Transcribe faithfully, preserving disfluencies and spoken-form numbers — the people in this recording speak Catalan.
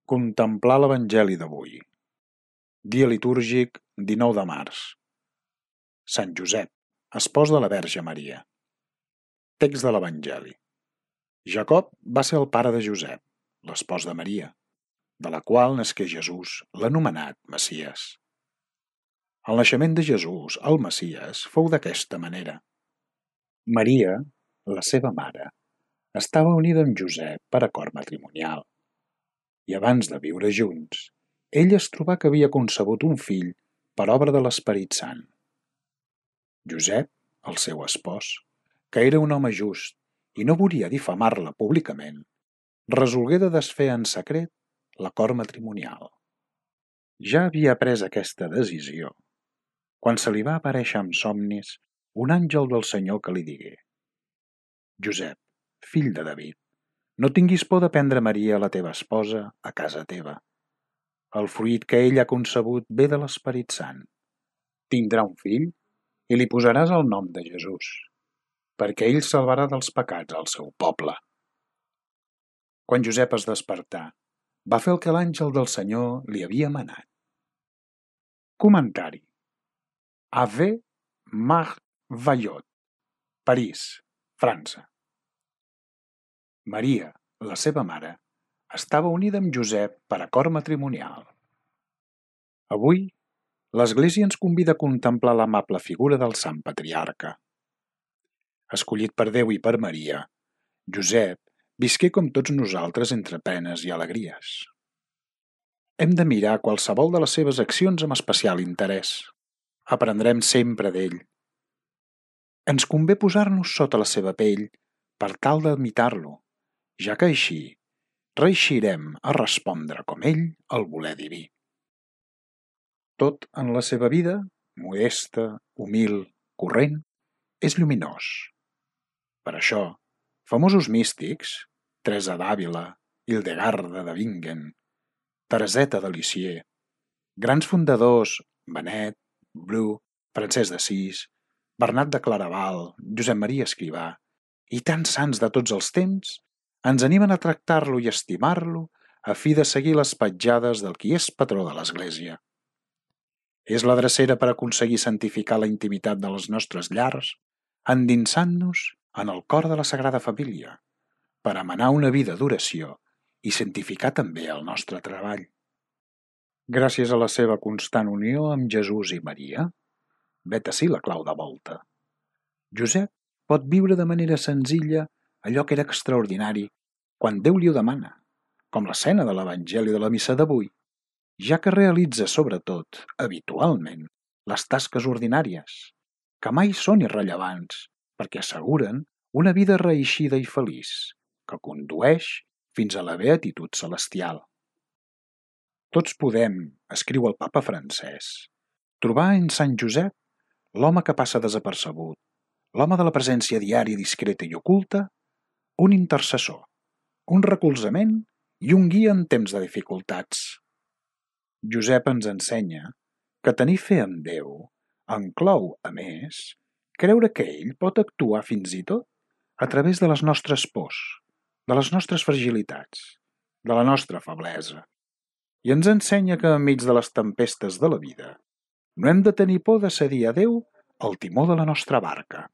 Contemplar l'Evangeli d'avui. Dia litúrgic dinou de març. Sant Josep, espòs de la Verge Maria. Text de l'Evangeli. Jacob va ser el pare de Josep, l'espòs de Maria, de la qual nasqué Jesús, l'anomenat Messies. El naixement de Jesús, el Messies, fou d'aquesta manera. Maria, la seva mare, estava unida amb Josep per acord matrimonial. I abans de viure junts, ell es trobà que havia concebut un fill per obra de l'Esperit Sant. Josep, el seu espòs, que era un home just i no volia difamar-la públicament, resolgué de desfer en secret l'acord matrimonial. Ja havia pres aquesta decisió quan se li va aparèixer en somnis un àngel del Senyor que li digué: Josep, fill de David, no tinguis por de prendre Maria, la teva esposa, a casa teva. El fruit que ell ha concebut ve de l'Esperit Sant. Tindrà un fill i li posaràs el nom de Jesús, perquè ell salvarà dels pecats al seu poble. Quan Josep es despertà, va fer el que l'àngel del Senyor li havia manat. Comentari. Ave Mar Vallot, París, França. Maria, la seva mare, estava unida amb Josep per acord matrimonial. Avui, l'Església ens convida a contemplar l'amable figura del Sant Patriarca. Escollit per Déu i per Maria, Josep visqué com tots nosaltres entre penes i alegries. Hem de mirar qualsevol de les seves accions amb especial interès. Aprendrem sempre d'ell. Ens convé posar-nos sota la seva pell per tal d'imitar-lo, ja que així reeixirem a respondre com ell al voler diví. Tot en la seva vida, modesta, humil, corrent, és lluminós. Per això, famosos místics, Teresa d'Àvila, Hildegarda de Bingen, Tereseta de Lisieux, grans fundadors, Benet, Bru, Francesc d'Assís, Bernat de Claraval, Josep Maria Escrivà i tants sants de tots els temps ens animen a tractar-lo i estimar-lo a fi de seguir les petjades del qui és patró de l'Església. És la drecera per aconseguir santificar la intimitat de les nostres llars, endinsant-nos en el cor de la Sagrada Família, per emanar una vida d'oració i santificar també el nostre treball. Gràcies a la seva constant unió amb Jesús i Maria, vet ací la clau de volta. Josep pot viure de manera senzilla allò que era extraordinari quan Déu li ho demana, com l'escena de l'Evangeli de la missa d'avui, ja que realitza sobretot, habitualment, les tasques ordinàries, que mai són irrellevants perquè asseguren una vida reeixida i feliç, que condueix fins a la beatitud celestial. Tots podem, escriu el papa Francesc, trobar en Sant Josep l'home que passa desapercebut, l'home de la presència diària discreta i oculta, un intercessor, un recolzament i un guia en temps de dificultats. Josep ens ensenya que tenir fe en Déu inclou, a més, creure que ell pot actuar fins i tot a través de les nostres pors, de les nostres fragilitats, de la nostra feblesa, i ens ensenya que enmig de les tempestes de la vida no hem de tenir por de cedir a Déu el timó de la nostra barca.